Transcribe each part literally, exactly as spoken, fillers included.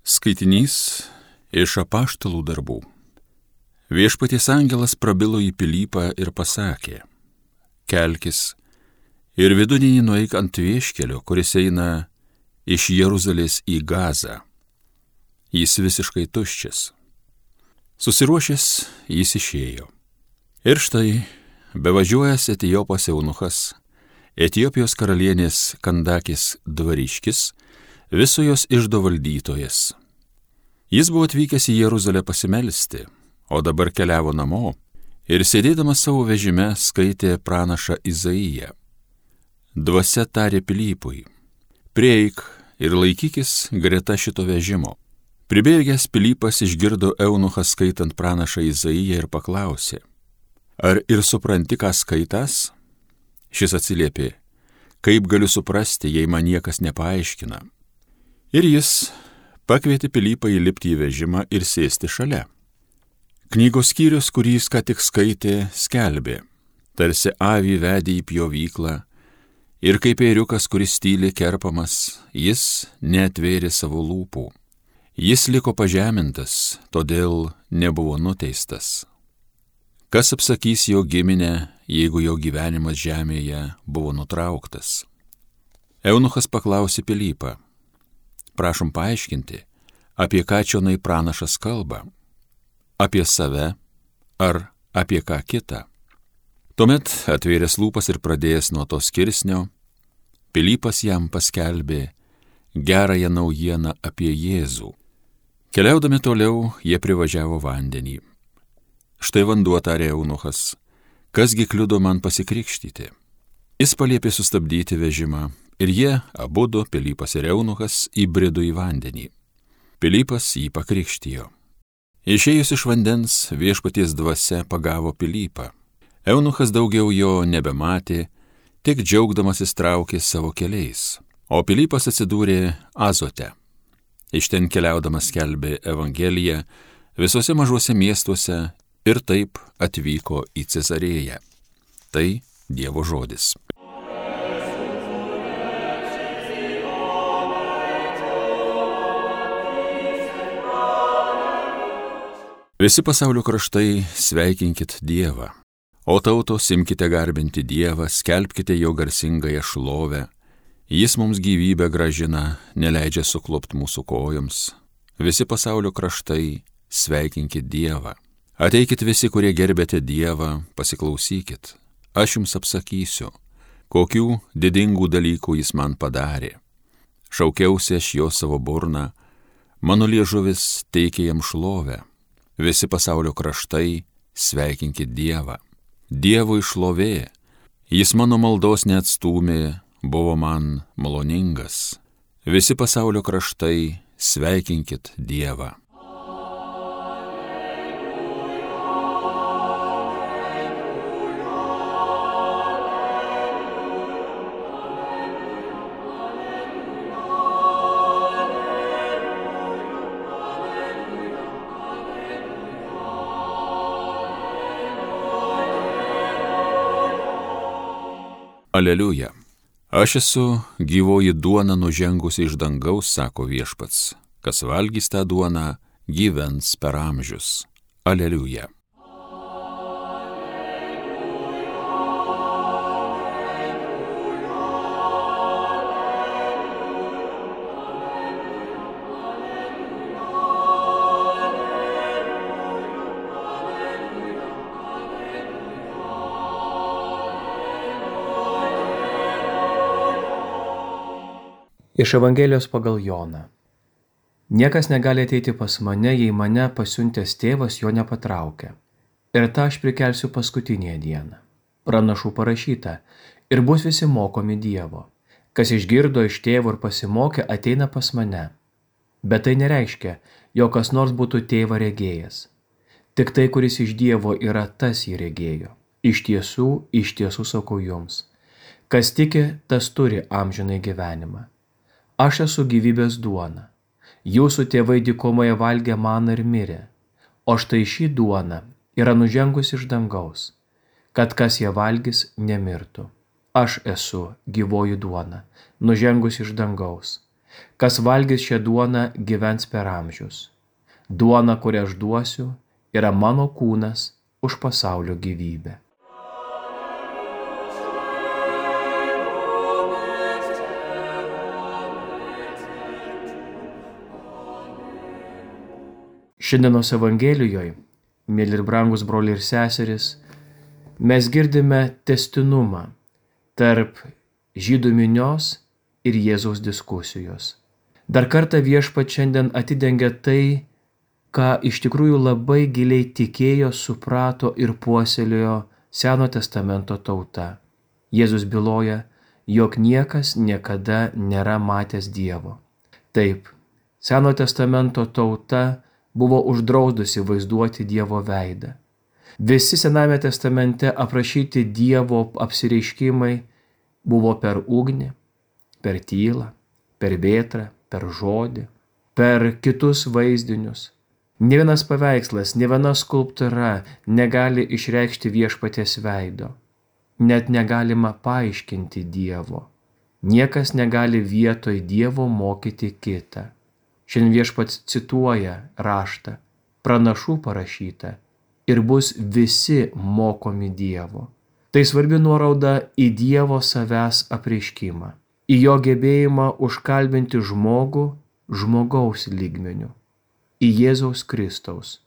Skaitinys iš Apaštalų darbų. Viešpaties angelas prabilo į Pilypą ir pasakė: Kelkis ir vidurdienį nueik ant vieškelio, kuris eina iš Jeruzalės į Gazą. Jis visiškai tuščias. Susiruošęs jis išėjo. Ir štai, bevažiuojas Etiopas eunuchas, Etiopijos karalienės Kandakės dvariškis, viso jos iždo valdytojas. Jis buvo atvykęs į Jeruzalę pasimelsti, o dabar keliavo namo ir sėdėdamas savo vežime skaitė pranašą Izaiją. Dvasia tarė Pilypui: prieik ir laikykis greta šito vežimo. Pribėgęs Pilypas išgirdo eunuchą skaitant pranašą Izaiją ir paklausė: ar ir supranti, ką skaitas? Šis atsiliepė: kaip galiu suprasti, jei man niekas nepaaiškina? Ir jis pakvietė Pilypą įlipti į vežimą ir sėsti šalia. Knygos skyrius, kurį jis ką tik skaitė, skelbė: tarsi avį vedė į pjovyklą, ir kaip ėriukas, kuris tyliai kerpamas, jis neatvėrė savo lūpų. Jis liko pažemintas, todėl nebuvo nuteistas. Kas apsakys jo giminę, jeigu jo gyvenimas žemėje buvo nutrauktas? Eunuchas paklausė Pilypą: prašom paaiškinti, apie ką čionai pranašas kalba? Apie save ar apie ką kitą? Tuomet, atvėręs lūpas ir pradėjęs nuo to skirsnio, Pilypas jam paskelbė gerąją naujieną apie Jėzų. Keliaudami toliau, jie privažiavo vandenį. Štai vanduo, tarė eunuchas, kasgi kliudo man pasikrikštyti? Jis paliepė sustabdyti vežimą, ir jie, abudu, Pilypas ir eunuchas, įbrido į vandenį. Pilypas jį pakrikštijo. Išėjus iš vandens, viešpaties dvasia pagavo Pilypą. Eunuchas daugiau jo nebematė, tik džiaugdamasis traukė savo keliais, o Pilypas atsidūrė Azote. Iš ten keliaudamas skelbė Evangeliją visose mažuose miestuose ir taip atvyko į Cezarėją. Tai Dievo žodis. Visi pasaulio kraštai sveikinkit Dievą, o tautos imkite garbinti Dievą, skelbkite jo garsingąją šlovę. Jis mums gyvybę gražina, neleidžia suklupt mūsų kojoms. Visi pasaulio kraštai sveikinkit Dievą. Ateikit visi, kurie gerbėte Dievą, pasiklausykit. Aš jums apsakysiu, kokių didingų dalykų jis man padarė. Šaukiausi aš jo savo burną, mano liežuvis teikė jam šlovę. Visi pasaulio kraštai sveikinkit Dievą. Dievui šlovė, jis mano maldos neatstūmė, buvo man maloningas. Visi pasaulio kraštai sveikinkit Dievą. Aleliuja. Aš esu gyvoji duona nužengusi iš dangaus, sako viešpats. Kas valgys tą duoną, gyvens per amžius. Aleliuja. Iš Evangelijos pagal Joną. Niekas negali ateiti pas mane, jei mane pasiuntęs tėvas jo nepatraukia. Ir tą aš prikelsiu paskutinėje dieną. Pranašų parašyta: ir bus visi mokomi Dievo. Kas išgirdo iš tėvo ir pasimokė, ateina pas mane. Bet tai nereiškia, jog kas nors būtų tėvą regėjęs. Tik tai, kuris iš Dievo yra, tas jį regėjo. Iš tiesų, iš tiesų sakau jums. Kas tiki, tas turi amžinai gyvenimą. Aš esu gyvybės duona. Jūsų tėvai dykumoje valgė maną ir mirė, o štai ši duona yra nužengusi iš dangaus, kad kas ją valgys, nemirtų. Aš esu gyvoji duona, nužengusi iš dangaus. Kas valgys šią duoną, gyvens per amžius. Duona, kurią aš duosiu, yra mano kūnas už pasaulio gyvybę. Šiandienos Evangelijoje, mėly ir brangus broliai ir seserys, mes girdime tęstinumą tarp žydų minios ir Jėzaus diskusijos. Dar kartą Viešpats šiandien atidengia tai, ką iš tikrųjų labai giliai tikėjo, suprato ir puoselėjo Seno testamento tauta. Jėzus byloja, jog niekas niekada nėra matęs Dievo. Taip, Seno testamento tauta buvo uždraudusi vaizduoti Dievo veidą. Visi Sename testamente aprašyti Dievo apsireiškimai buvo per ugnį, per tylą, per vėtrą, per žodį, per kitus vaizdinius. Nė vienas paveikslas, nė viena skulptūra negali išreikšti Viešpaties veido. Net negalima paaiškinti Dievo. Niekas negali vietoj Dievo mokyti kitą. Šiandien Viešpats cituoja raštą, pranašų parašytą, ir bus visi mokomi Dievo. Tai svarbi nuoroda į Dievo savęs apreiškimą, į jo gebėjimą užkalbinti žmogų žmogaus lygmeniu, į Jėzaus Kristaus,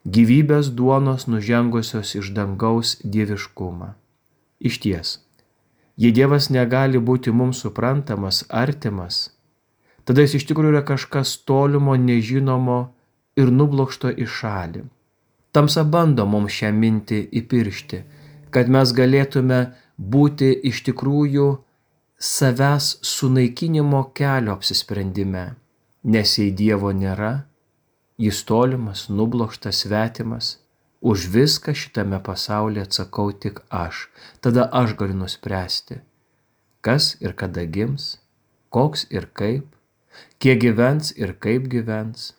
gyvybės duonos nužengusios iš dangaus dieviškumą. Išties, jei Dievas negali būti mums suprantamas, artimas, tada jis iš tikrųjų yra kažkas tolimo, nežinomo ir nublokšto į šalį. Tamsa bando mums šią mintį įpiršti, kad mes galėtume būti iš tikrųjų savęs sunaikinimo kelio apsisprendime, nes jei Dievo nėra, jis tolimas, nublokštas, svetimas, už viską šitame pasaulyje atsakau tik aš, tada aš galiu nuspręsti, kas ir kada gims, koks ir kaip, kiek gyvens ir kaip gyvens.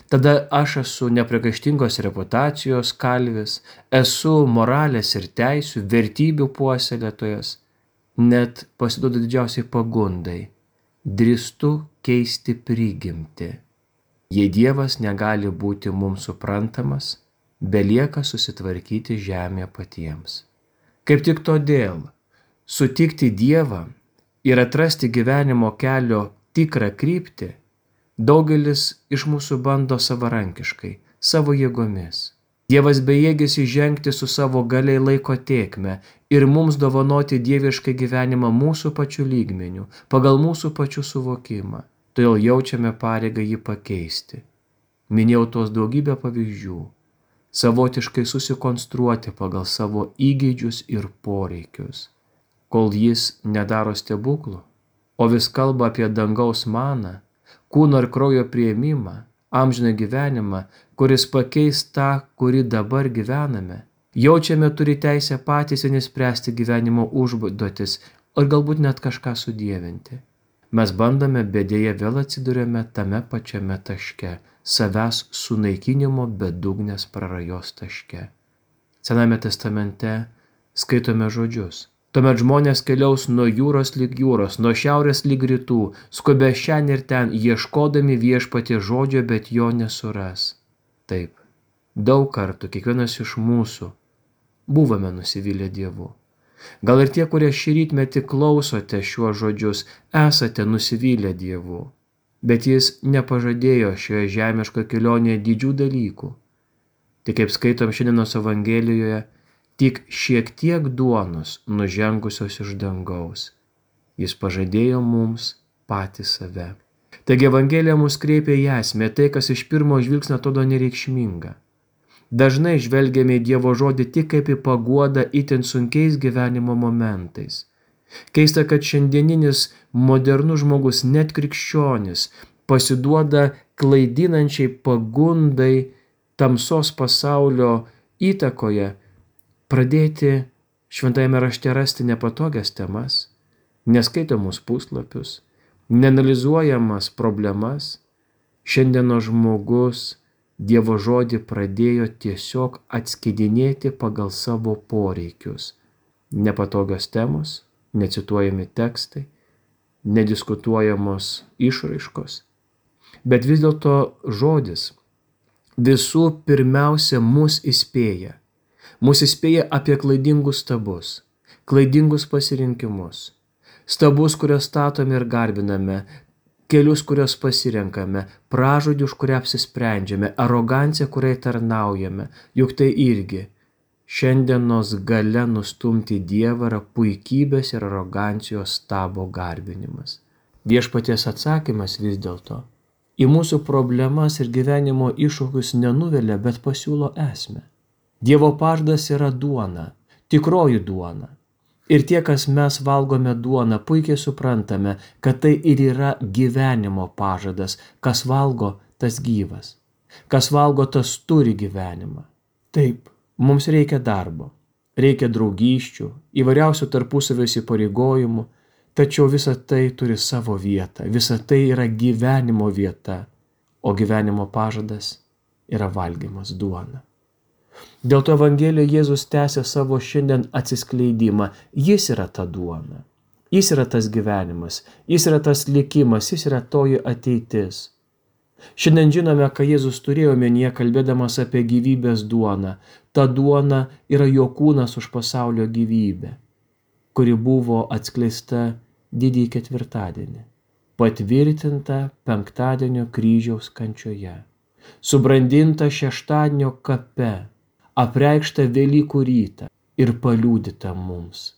Tada aš esu nepriekaištingos reputacijos kalvis, esu moralės ir teisių, vertybių puoselėtojas, net pasiduodu didžiausiai pagundai, drįstu keisti prigimtį. Jei Dievas negali būti mums suprantamas, belieka susitvarkyti žemėje patiems. Kaip tik todėl sutikti Dievą ir atrasti gyvenimo kelio tikrą kryptį, daugelis iš mūsų bando savarankiškai, savo jėgomis. Dievas bejėgis įžengti su savo galiai laiko tėkme ir mums dovanoti dievišką gyvenimą mūsų pačių lygmenių, pagal mūsų pačių suvokimą. Todėl jaučiame pareigą jį pakeisti. Minėjau tos daugybę pavyzdžių, savotiškai susikonstruoti pagal savo įgeidžius ir poreikius. Kol jis nedaro stebuklų, o vis kalba apie dangaus maną, kūno ir kraujo priėmimą, amžiną gyvenimą, kuris pakeis tą, kurį dabar gyvename. Jaučiame turi teisę patys nespręsti gyvenimo užduotis, ar galbūt net kažką sudievinti. Mes bandome, bet dėja vėl atsiduriame tame pačiame taške, savęs sunaikinimo bedugnės prarajos taške. Sename testamente skaitome žodžius. Tuomet žmonės keliaus nuo jūros lig jūros, nuo šiaurės lig rytų, skubė šian ir ten, ieškodami Viešpaties žodžio, bet jo nesuras. Taip, daug kartų kiekvienas iš mūsų buvome nusivylę Dievu. Gal ir tie, kurie šį rytmetį klausote šiuos žodžius, esate nusivylę Dievu, bet jis nepažadėjo šioje žemiškoje kelionėje didžių dalykų. Tik kaip skaitom šiandienos Evangelijoje, tik šiek tiek duonos nužengusios iš dangaus. Jis pažadėjo mums patį save. Taigi Evangelija mus kreipia į esmę, tai, kas iš pirmo žvilgsnio atrodo nereikšminga. Dažnai žvelgiame į Dievo žodį tik kaip į paguodą itin sunkiais gyvenimo momentais. Keista, kad šiandieninis modernus žmogus, net krikščionis, pasiduoda klaidinančiai pagundai tamsos pasaulio įtakoje pradėti šventajame rašte rasti nepatogias temas, neskaitomus puslapius, neanalizuojamas problemas. Šiandienos žmogus Dievo žodį pradėjo tiesiog atskidinėti pagal savo poreikius. Nepatogios temos, necituojami tekstai, nediskutuojamos išraiškos. Bet vis dėlto žodis visų pirmiausia mus įspėja. Mus įspėja apie klaidingus stabus, klaidingus pasirinkimus, stabus, kuriuos statome ir garbiname, kelius, kuriuos pasirenkame, pražodį, už kurią apsisprendžiame, aroganciją, kuriai tarnaujame, juk tai irgi šiandienos gale nustumti Dievą yra puikybės ir arogancijos stabo garbinimas. Viešpaties atsakymas vis dėlto į mūsų problemas ir gyvenimo iššūkius nenuvelia, bet pasiūlo esmę. Dievo pažadas yra duona, tikroji duona. Ir tie, kas mes valgome duoną, puikiai suprantame, kad tai ir yra gyvenimo pažadas. Kas valgo, tas gyvas. Kas valgo, tas turi gyvenimą. Taip, mums reikia darbo, reikia draugysčių, įvairiausių tarpusavio įsipareigojimų, tačiau visa tai turi savo vietą, visa tai yra gyvenimo vieta, o gyvenimo pažadas yra valgymas duona. Dėl to Evangelijoje Jėzus tęsia savo šiandien atsiskleidimą. Jis yra ta duona, jis yra tas gyvenimas, jis yra tas likimas, jis yra toji ateitis. Šiandien žinome, ką Jėzus turėjo omenyje, kalbėdamas apie gyvybės duoną. Ta duona yra jo kūnas už pasaulio gyvybę, kuri buvo atskleista didįjį ketvirtadienį, patvirtinta penktadienio kryžiaus kančioje, subrandinta šeštadienio kape, apreikšta Velykų rytą ir paliudyta mums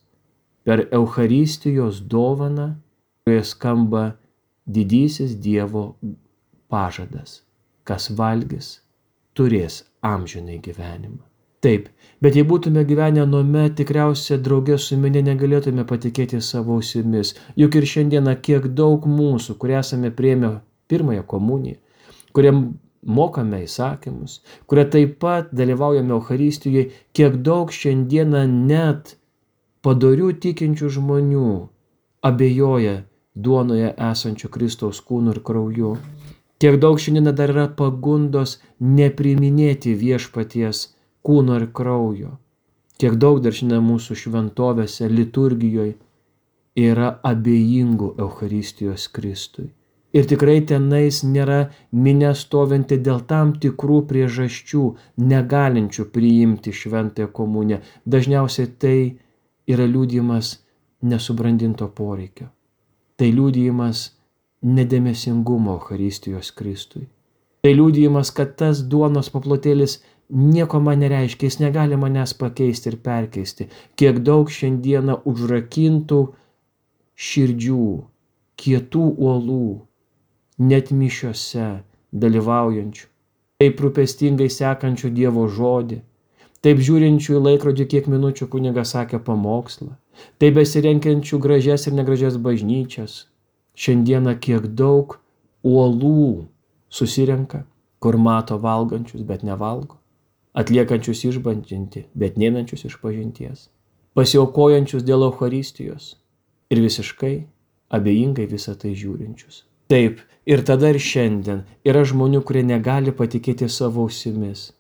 per Eucharistijos dovaną, kurioje skamba didysis Dievo pažadas. Kas valgys, turės amžinai gyvenimą. Taip, bet jei būtume gyvenę anuomet, tikriausiai drauge su minia negalėtume patikėti savo ausimis. Juk ir šiandieną kiek daug mūsų, kurie esame priėmę pirmąją komuniją, kurie mokame įsakymus, kurie taip pat dalyvaujame Eucharistijoje, kiek daug šiandieną net padorių tikinčių žmonių abejoja duonoje esančių Kristaus kūnu ir krauju. Kiek daug šiandieną dar yra pagundos nepriiminėti viešpaties kūno ir kraujo. Kiek daug dar šiandien mūsų šventovėse, liturgijoje yra abejingų Eucharistijos Kristui. Ir tikrai tenais nėra minia stovinti dėl tam tikrų priežasčių, negalinčių priimti šventąją komuniją. Dažniausiai tai yra liudijimas nesubrandinto poreikio. Tai liudijimas nedėmesingumo Eucharistijos Kristui. Tai liudijimas, kad tas duonos paplotėlis nieko man nereiškia, jis negali manęs pakeisti ir perkeisti. Kiek daug šiandieną užrakintų širdžių, kietų uolų, net mišiose dalyvaujančių, taip rūpestingai sekančių Dievo žodį, taip žiūrinčių į laikrodį, kiek minučių kunigas sakė pamokslą, taip besirenkiančių gražias ir negražias bažnyčias. Šiandieną kiek daug uolų susirenka, kur mato valgančius, bet nevalgo, atliekančius išbandžinti, bet neinančius iš pažinties, pasiaukojančius dėl Eucharistijos ir visiškai abejingai visą tai žiūrinčius. Taip, ir tada ir šiandien yra žmonių, kurie negali patikėti savo ausimis.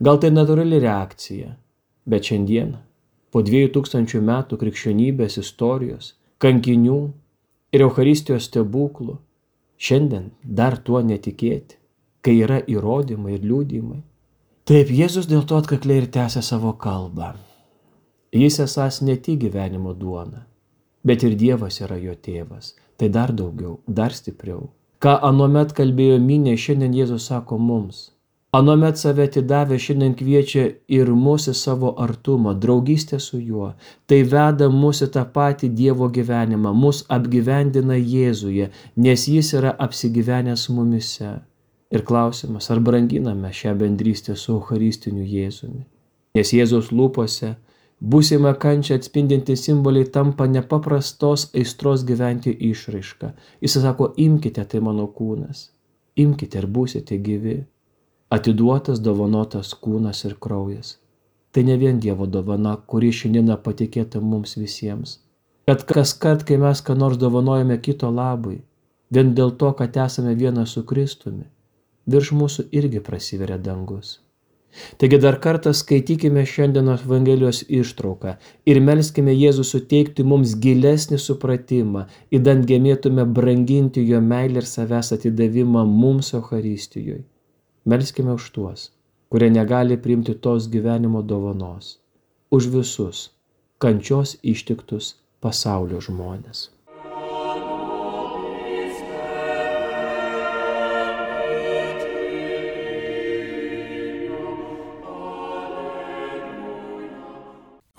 Gal tai natūrali reakcija, bet šiandien, po dviejų tūkstančių metų krikščionybės istorijos, kankinių ir Eucharistijos stebuklų, šiandien dar tuo netikėti, kai yra įrodymai ir liudijimai. Taip, Jėzus dėl to atkakliai ir tęsia savo kalbą. Jis esąs ne tik gyvenimo duona, bet ir Dievas yra jo tėvas. Tai dar daugiau, dar stipriau. Ką anuomet kalbėjo minia, šiandien Jėzus sako mums. Anuomet save atidavę, šiandien kviečia ir mus į savo artumą, draugystę su juo. Tai veda mus į tą patį Dievo gyvenimą, mus apgyvendina Jėzuje, nes jis yra apsigyvenęs mumise. Ir klausimas, ar branginame šią bendrystę su Eucharistiniu Jėzumi. Nes Jėzaus lūpose būsimą kančią atspindinti simboliai tampa nepaprastos aistros gyventi išraiška. Jis sako, imkite, tai mano kūnas, imkite ir būsite gyvi. Atiduotas, dovanotas kūnas ir kraujas. Tai ne vien Dievo dovana, kuri šiandieną patikėta mums visiems. Kad kas kart, kai mes ką nors dovanojame kito labui, vien dėl to, kad esame vienas su Kristumi, virš mūsų irgi prasiveria dangus. Taigi dar kartą skaitykime šiandienos Evangelijos ištrauką ir melskime Jėzų suteikti mums gilesnį supratimą, idant gebėtume branginti jo meilę ir savęs atidavimą mums Eucharistijoje. Melskime už tuos, kurie negali priimti tos gyvenimo dovanos, už visus kančios ištiktus pasaulio žmonės.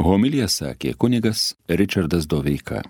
Homiliją sakė kunigas Ričardas Doveika.